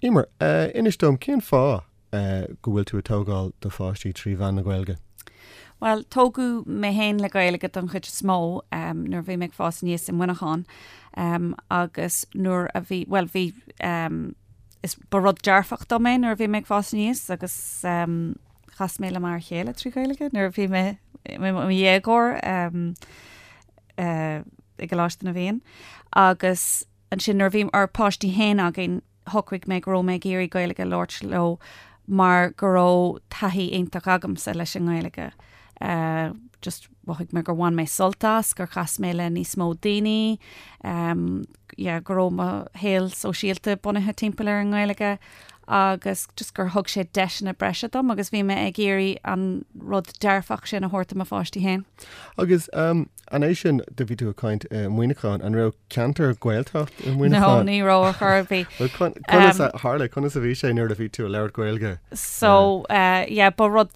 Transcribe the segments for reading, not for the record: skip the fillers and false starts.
Emer, inis dom cén fáth go bhfuil tú ag tógáil do pháistí trí mheán na Gaeilge? Bhuel, tógadh mé féin le Gaeilge don chuid is mó nuair a bhí mé ag fás aníos i Muineachán agus nuair a bhí, bhuel bhí, is ba rud dearfach dom é nuair a bhí mé ag fás aníos agus chas mé le m'fhear chéile trí Ghaeilge nuair a bhí mé i mo dhéagóir i gColáiste na bhFiann agus Ansin nuair a bhí ár bpáistí féin againn, shocraigh mé go raibh mé ag iarraidh Gaeilge a labhairt leo mar go raibh taithí iontach agamsa leis an nGaeilge. Just mhothaigh mé gur bhain mé sult as, gur chas mé le níos mó daoine, yeah, go raibh mo shaol sóisialta bunaithe timpeall ar an nGaeilge agus just gur thug sé deiseanna breise dom agus bhí mé ag iarraidh an rud dearfach sin a thabhairt do mo pháistí féin. Agus An é sin, do bhí tú ag caint i Muineachán, an raibh ceantar Gaeltacht i Muineachán? No, ní raibh ar chor ar bith. Well, conas a tharla, conas a bhí sé nuair a bhí tú ag labhairt Gaeilge? So, yeah, ba rud,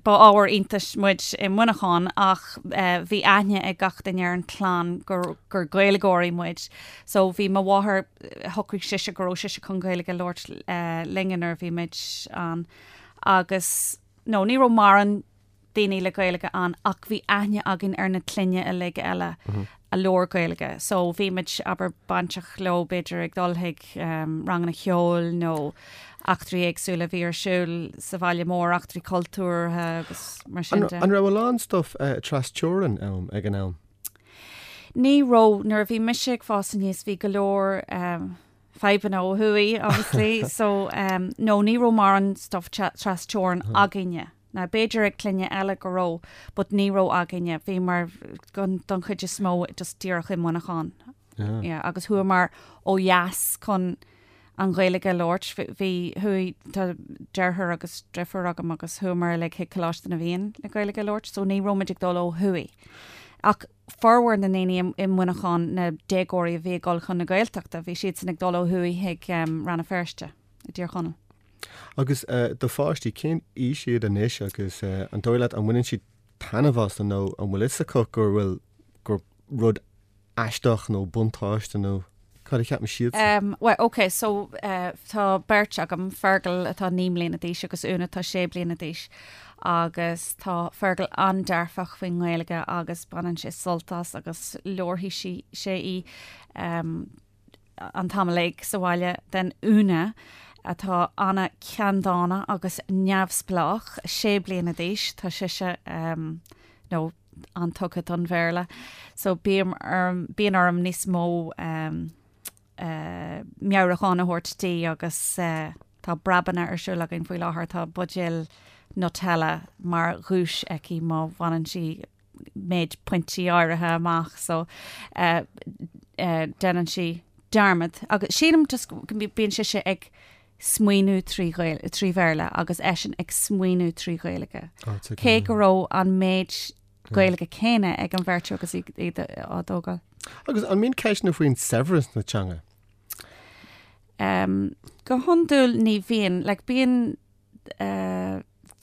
ba ábhar iontais muid i Muineachán ach bhí aithne ag gach duine ar an chlann gur, gur Gaeilgeoirí muid. So bhí mo mháthair, shocraigh sise go raibh sise chun Gaeilge a labhairt linne nuair a bhí muid ann agus, no, ní raibh mórán daoine le Gaeilge ann ach bhí aithne againn ar na clainne uilig eile a labhair Gaeilge. So bhí muid, abair, bainteach leo b'fhéidir ag dul chuig ranganna ceoil nó eachtraí éagsúla a bhí ar siúl sa bhaile mór, eachtraí cultúrtha agus mar sin de. An raibh a lán stuff trasteorann ann ag an am? Ní raibh. Nuair a bhí mise ag fás aníos bhí go leor fadhbanna ó thuaidh, obviously, so no ní raibh mórán stuff trasteorann againne. Now b'fhéidir ag clainne eile go raibh but ní raibh againne. Bhíomar don chuid is mó just díreach i Muineachán. Yeah. Yeah, agus chuamar ó dheas chun an Ghaeilge a labhairt. Bhí, chuaigh, tá deartháir agus deirfiúr agam agus chuamar uilig chuig Coláiste na bhFiann le Gaeilge a labhairt, so ní raibh muid ag dul ó thuaidh. Ach formhór na ndaoine i Muineachán, na déagóirí a bhí ag dul chun na Gaeltachta, bhí siadsan ag dul ó thuaidh chuig Rann na Feirste i dTír Chonaill. Agus do pháistí, cén aois iad anois agus an dóigh leat an mbaineann siad taitneamh as nó an bhfuil fhios acu gur bhfuil, gur rud aisteach nó buntáiste nó cad a cheapann siadsan? Bhuel, ok, so tá beirt agam, Fergal atá 9 mbliana d'aois agus Úna atá 6 bliana d'aois agus tá Fergal an-dearfach faoin nGaeilge agus baineann sé sult as agus labharfaidh sé í. an t-am uilig sa bhaile then Úna atá an-cheanndána agus neamhspleách, sé bliana d'aois, tá sise nó an-tugtha don Bhéarla so bím orm, bíonn orm níos mó meabhrúchán a thabhairt di agus tá breabanna ar siúl againn faoi láthair, tá buidéal Nutella mar dhuais aici má bhaineann sí méid pointí áirithe amach so déanann sí dearmad agus sílim just go bíonn sise ag smaoineamh trí trí Bhéarla agus eisean ag smaoineamh trí Ghaeilge. Cé go raibh an méid Gaeilge céanna ag an bheirt agus iad á dtógáil. Agus an mbíonn ceisteanna faoin saibhreas na teanga? Um, go hiondúil ní bhíonn, like, bíonn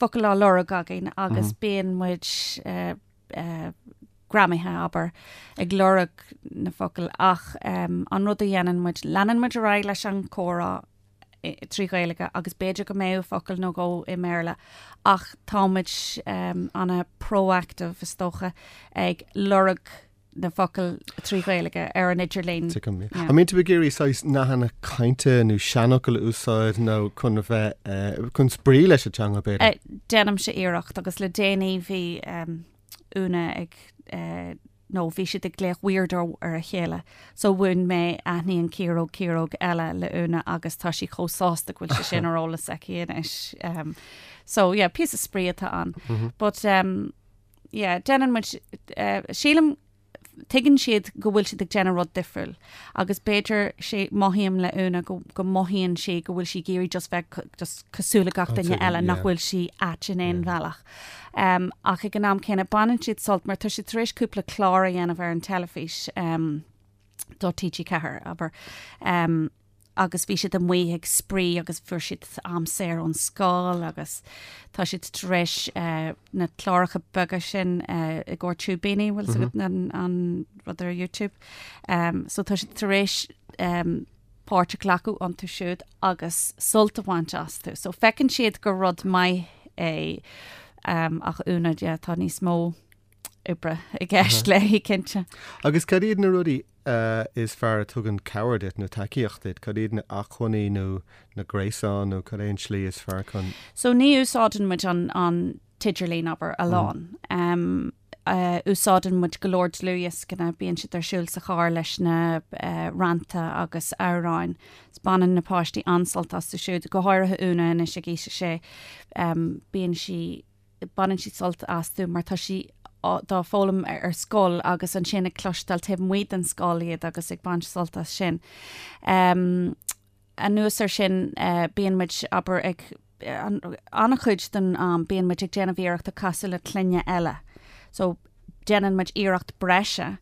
focail á lorg againn agus bíonn muid greamaithe, abair, ag lorg na focail ach an rud a dhéanann muid, leanann muid ar aghaidh leis an chomhrá trí Ghaeilge agus b'fhéidir go mbeadh focal nó dhó i mBéarla ach tá muid an-proactive is dócha ag lorg na focail trí Ghaeilge ar an idirlíon. Tuigim. An mbíonn tú ag iarraidh saghas nathanna cainte nó seanfhocail a úsáid nó chun a bheith, chun spraoi leis an teanga b'fhéidir? Déanaimse iarracht agus le déanaí bhí Úna ag, nó bhí siad ag glaoch weirdo ar a chéile so mhúin mé aithníonn ciaróg ciaróg eile le Úna agus tá sí chomh sásta go bhfuil sé sin ar eolas aici anois. So yeah, píosa spraoi atá ann. But yeah, déanann muid, sílim, tuigeann siad go bhfuil siad ag déanamh rud difriúil agus b'fhéidir sé, mothaím le Úna go, go mothaíonn sí go bhfuil sí ag iarraidh just bheith just cosúil le gach duine eile, nach bhfuil sí ait in aon bhealach. Um, ach ag an am céanna baineann siad sult mar tá siad tar éis cúpla clár a dhéanamh ar an teilifís um, do TG4, abair. Um, agus bhí siad amuigh ag spraoi agus fuair siad am saor ón scoil agus tá siad tar éis na cláracha beaga sin i gcomhair Túibíní, bhfuil fhios agat an rud ar YouTube. So tá siad tar éis. páirt a ghlacadh iontu siúd agus sult a bhaint astu. So feiceann siad gur rud maith é ach Úna, yeah, tá níos mó oibre i gceist léi, cinnte. Agus cad iad na rudaí is fearr a tugann cabhair duit nó tacaíocht duit? Cad iad na acmhainní nó na gréasáin nó cad é an tslí is fearr chun. So ní úsáideann muid an, an t-idirlíon, abair, a lán. Úsáideann muid go leor dlúthdhioscanna, bíonn siad ar siúl sa charr leis na rannta agus amhráin. Baineann na páistí an-sult astu siúd, go háirithe Úna anois ag aois a sé. Bíonn sí, baineann sí sult astu mar tá sí dá bhfoghlaim ar scoil agus ansin ag cloisteáil taobh amuigh den scoil iad agus ag baint sult as sin. Anuas air sin, bíonn muid, abair, ag, an-chuid den am, bíonn muid ag déanamh iarrachta casadh le clainne eile. So, déanann muid iarracht breise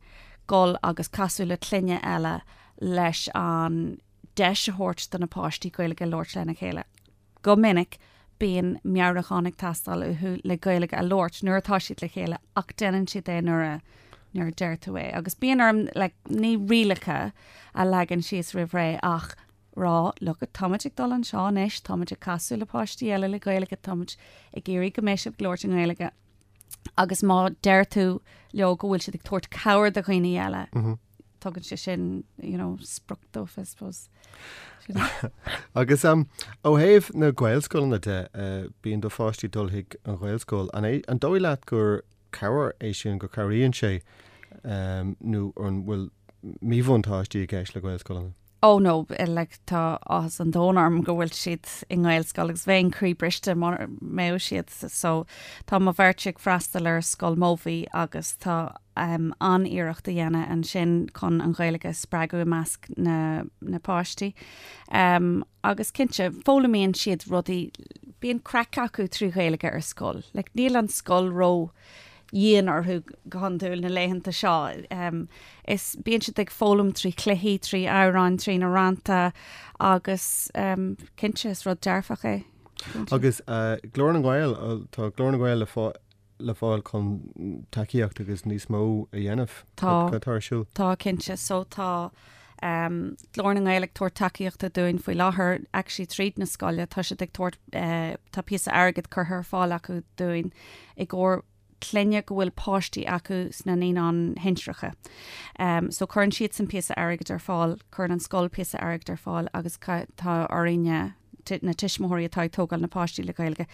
dul agus casadh le clainne eile leis an deis a thabhairt do na páistí Gaeilge a labhairt lena chéile. Go minic, bíonn meabhrúchán ag teastáil uathu le Gaeilge a labhairt nuair atá siad le chéile ach déanann siad é nuair a nuair a deir tú é. Agus bíonn orm like, ní rialacha a leagan síos roimh ré ach rá, look, táimid ag dul anseo anois, táimid ag casadh le páistí eile le Gaeilge, táimid ag iarraidh go mbeidh sibh ag labhairt i nGaeilge. Agus má deir tú leo go bhfuil siad ag tabhairt cabhair do dhaoine eile, mm -hmm. tugann sé sin you know, sprioc dóibh, I suppose. Agus um, ó thaobh na Gaelscoileanna de, uh, bíonn do pháistí dul chuig an Ghaelscoil. An, é, an dóigh leat gur cabhair é sin go cabhraíonn sé um, nó an bhfuil míbhuntáistí i gceist le Gaelscoileanna? Oh no, like tá áthas an domhain orm go bhfuil siad i nGaelscoil agus bheinn croíbhriste mura mbeadh siad. So tá mo bheirt ag freastal ar Scoil Mobhí agus tá um, an-iarracht á dhéanamh ansin chun an Ghaeilge a spreagadh i measc na, na páistí. Um, agus cinnte, foghlaimíonn siad rudaí, bíonn craic acu trí Ghaeilge ar scoil. Like, níl an scoil ró dhian orthu go hiondúil na laethanta seo. Is bíonn siad ag foghlaim trí chluichí, trí amhráin, trí na rannta agus cinnte is rud dearfach é. Agus Glór na nGael, tá Glór na nGael le fáil chun tacaíocht agus níos mó a dhéanamh. Tá. Cad atá ar siúl? Tá cinnte. So tá Glór na nGael ag tabhairt tacaíochta dúinn faoi láthair, actually tríd na scoile, tá siad ag tabhairt, tá píosa airgid curtha ar fáil acu dúinn i gcomhair clainne go bhfuil páistí acu sna naíonáin shinsearacha. So cuireann siadsan píosa airgid ar fáil, cuireann an scoil píosa airgid ar fáil agus tá orainne, na tuismitheoirí atá ag tógáil na páistí le Gaeilge,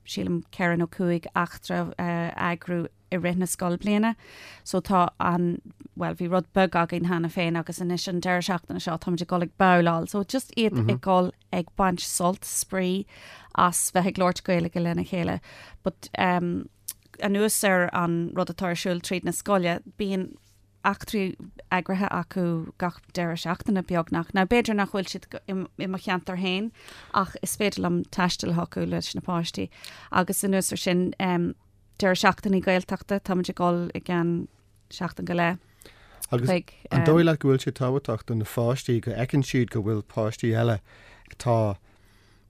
sílim 4 nó 5 eachtra a eagrú i rith na scoilbliana. So tá an, bhuel bhí rud beag againn cheana féin agus anois an deireadh seachtaine seo táimid ag dul ag babhláil. So just iad mm -hmm. ag dul ag baint sult, spraoi as bheith ag labhairt Gaeilge lena chéile. But um, anuas ar an rud atá ar siúl tríd na scoile, bíonn eachtraí eagraithe acu gach deireadh seachtaine beagnach. Now b'fhéidir nach bhfuil siad i mo cheantar féin ach is féidir liom taisteal chucu leis na páistí. Agus anuas ar sin um, deireadh seachtainí Gaeltachta, táimid ag dul i gceann seachtain go leith. Agus chuig, an dóigh leat go bhfuil sé tábhachtach do na pháistí go fheiceann siad go bhfuil páistí eile atá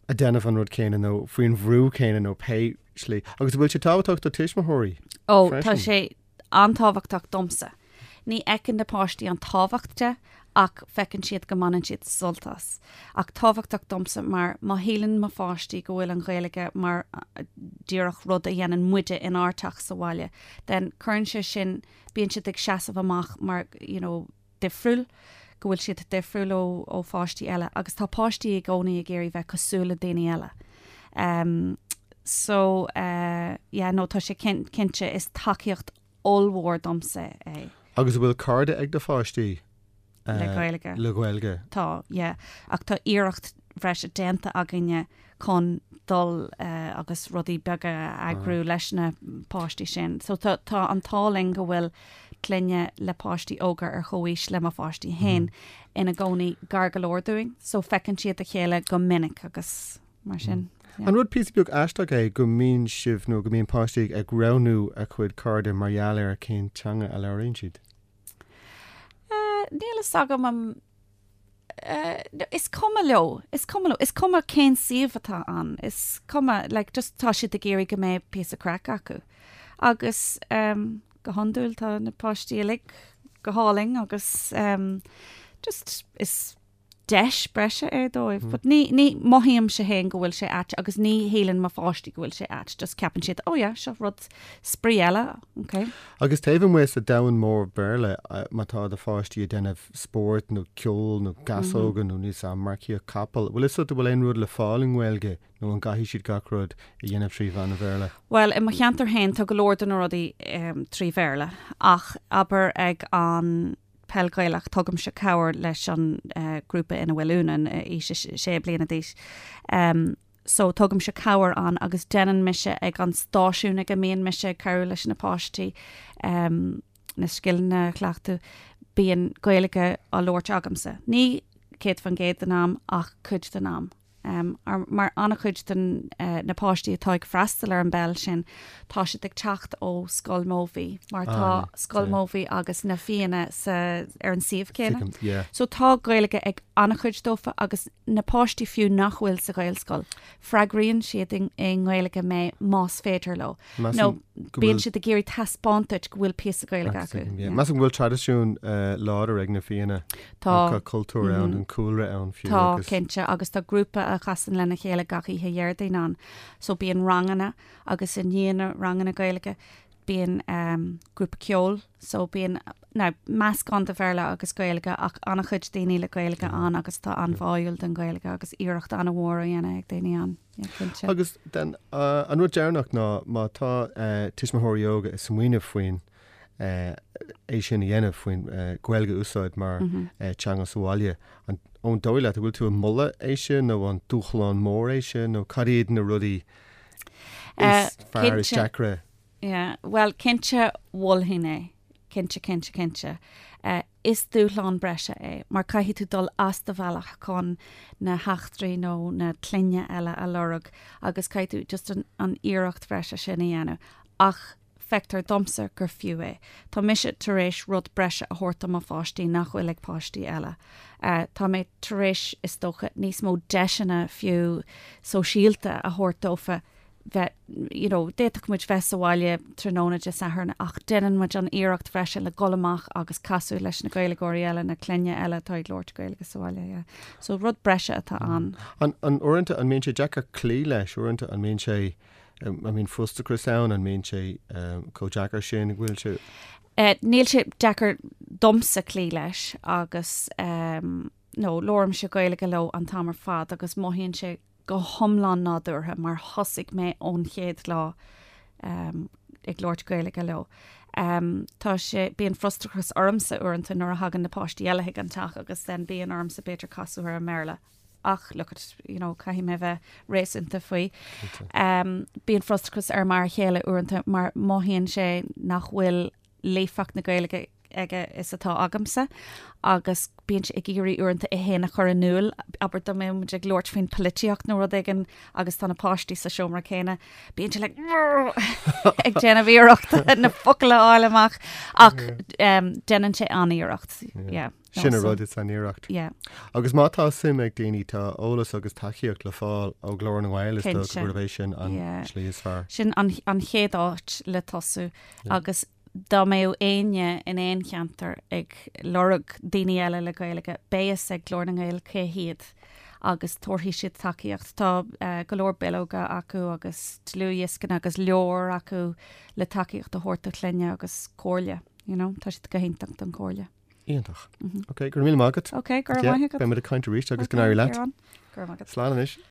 ag déanamh an rud céanna nó faoin bhrú céanna nó pé slí. Agus an bhfuil sé tábhachtach do tuismitheoirí? Ó, tá sé an-tábhachtach domsa. Ní fheiceann na páistí an tábhacht de ach feiceann siad go mbaineann siad sult as. Ach tábhachtach domsa mar má shíleann mo pháistí go bhfuil an Ghaeilge mar díreach rud a dhéanann muide inár dteach sa bhaile, then cuireann sé sin, bíonn siad ag seasamh amach mar you know difriúil, go bhfuil siad difriúil ó ó pháistí eile agus tá páistí i gcónaí ag iarraidh bheith cosúil le daoine eile. Um, so uh, yeah, no, tá sé cinnte is tacaíocht ollmhór domsa é. Agus an bhfuil cairde ag do pháistí? Le Gaeilge. Le Gaeilge. Tá, yeah. Ach tá iarracht bhreise déanta againne chun dul agus rudaí beaga a eagrú leis na páistí sin. So tá tá an t-ádh linn go bhfuil clainne le páistí óga ar chomhaois le mo pháistí féin ina gcónaí gar go leor dúinn, so feiceann siad a chéile go minic agus mar sin. An rud píosa beag aisteach é go mbíonn sibh nó go mbíonn páistí ag roghnú a gcuid cairde mar gheall ar cén teanga a labhraíonn siad? Níl fhios agam an Is cuma leo, is cuma leo, is cuma cén suíomh atá ann, is cuma, like, just tá siad ag iarraidh go mbeidh píosa craic acu. Agus um, go hiondúil tá na páistí uilig go hálainn agus um, just is. deis breise é dóibh. But ní, ní mothaímse féin go bhfuil sé ait agus ní shíleann mo pháistí go bhfuil sé ait, just ceapann siad, oh yeah, seo rud spraoi eile, ok. Agus taobh amuigh sa domhan mór Béarla, má tá do pháistí ag déanamh spóirt nó ceol nó gasóga nó níos marcaíocht capall, bhfuil fhios agat an bhfuil aon rud le fáil i nGaeilge nó an gcaithfidh siad gach rud a dhéanamh trí mheán an Bhéarla? Bhuel, i mo cheantar féin tá go leor de na rudaí trí Bhéarla ach abair ag an Peil Ghaelach, tugaimse cabhair leis an grúpa ina bhfuil Úna, í sé bliana d'aois. So tugaimse cabhair ann agus déanann mise ag an stáisiún ag a mbíonn mise ag cabhrú leis na páistí na scileanna a chleachtadh, bíonn Gaeilge á labhairt agamsa. Ní 100% den am ach cuid den am. Mar an-chuid de na páistí atá ag freastal ar an bpeil sin, tá siad ag teacht ó Scoil Mobhí, mar tá Scoil Mobhí agus na Fianna sa ar an suíomh céanna. So tá Gaeilge ag an-chuid dófa agus na páistí fiú nach bhfuil sa Ghaelscoil, freagraíonn siad i nGaeilge mé más féidir leo. Nó bíonn siad ag iarraidh taispeáint duit go bhfuil píosa Gaeilge acu. Measaim go bhfuil traidisiún láidir ag na Fianna. Tá. Tá cultúr ann, an cúlra ann fiú Tá, agus. cinnte, agus tá grúpa a chasann lena chéile gach oíche Dhéardaoin ann. So bíonn ranganna agus i ndiaidh na ranganna Gaeilge bíonn grúpa ceoil so bíonn now meascán de Bhéarla agus Gaeilge ach an-chuid daoine le Gaeilge ann agus tá an-bháúil don Ghaeilge agus iarracht an-mhór á dhéanamh ag daoine ann. Yeah, cinnte. Agus then an rud deireanach ná má tá tuismitheoirí óga ag smaoineamh faoin é sin a dhéanamh faoin Ghaeilge a úsáid mar teanga sa bhaile. An dóigh leat, an bhfuil tú ag moladh é sin nó an dúshlán mór é sin nó cad iad na rudaí is fearr, is deacra? Yeah, bhuel cinnte mholfainn é, cinnte, cinnte, cinnte. Is dúshlán breise é mar caithfidh tú dul as do bhealach chun na heachtraí nó na clainne eile a lorg agus caithfidh tú just an iarracht bhreise sin a dhéanamh. Ach Feictear domsa gur fiú é. Tá mise tar éis rud breise a thabhairt do mo pháistí nach bhfuil ag páistí eile. Tá mé tar éis, is dócha, níos mó deiseanna fiú sóisialta a thabhairt dófa bheith, you know, d'fhéadfadh muid bheith sa bhaile tráthnóna Dé Sathairn ach déanann muid an iarracht bhreise le dhul amach agus casadh leis na Gaeilgeoirí eile, na clainne eile atá ag labhairt Gaeilge sa bhaile, yeah. So rud breise atá ann. An, an uaireanta an mbíonn sé deacair cloí leis, uaireanta an mbíonn sé An mbíonn frustrachas ann? An mbíonn sé chomh deacair sin? An bhfuil sé? Níl sé deacair domsa cloí leis agus nó labhraímse Gaeilge leo an t-am ar fad agus mothaíonn sé go hiomlán nádúrtha mar thosaigh mé ón chéad lá ag labhairt Gaeilge leo. Tá sé, bíonn frustrachas ormsa uaireanta nuair a thagann na páistí eile chuig an teach agus then bíonn ormsa b'fhéidir casadh ar an mBéarla. ach look at, you know, caithfidh mé bheith réasúnta faoi. Um, bíonn frustrachas ar m'fhear chéile uaireanta mar mothaíonn sé nach bhfuil líofacht na Gaeilge aige is atá agamsa agus bíonn sé ag iarraidh uaireanta é féin a chur in iúl, abair dá mbeadh muid ag labhairt faoin polaitíocht nó rud éigin agus tá na páistí sa seomra céanna, bíonn sé like ag déanamh iarracht na focail a fháil amach ach um, déanann sé an-iarracht. Yeah. Sin an rud, is an iarracht. Yeah. Agus má tá suim ag daoine, tá eolas agus tacaíocht le fáil ó Ghlór na nGael, is dócha gurb é sin an slí is fearr. Sin an chéad áit le tosú agus dá mbeadh éinne in aon cheantar ag lorg daoine eile le Gaeilge, beidh fhios ag Glór na nGael cé hiad agus tabharfaidh siad tacaíocht. Tá go leor bileoga acu agus dlúthdhioscanna agus leabhair acu le tacaíocht a thabhairt do chlainne agus comhairle, you know, tá siad go hiontach don chomhairle. Iontach. Ok, go raibh míle maith agat. Ok, go raibh maith agat. Beidh muid ag caint arís agus go n-éirí leat. Go raibh maith agat. Slán anois.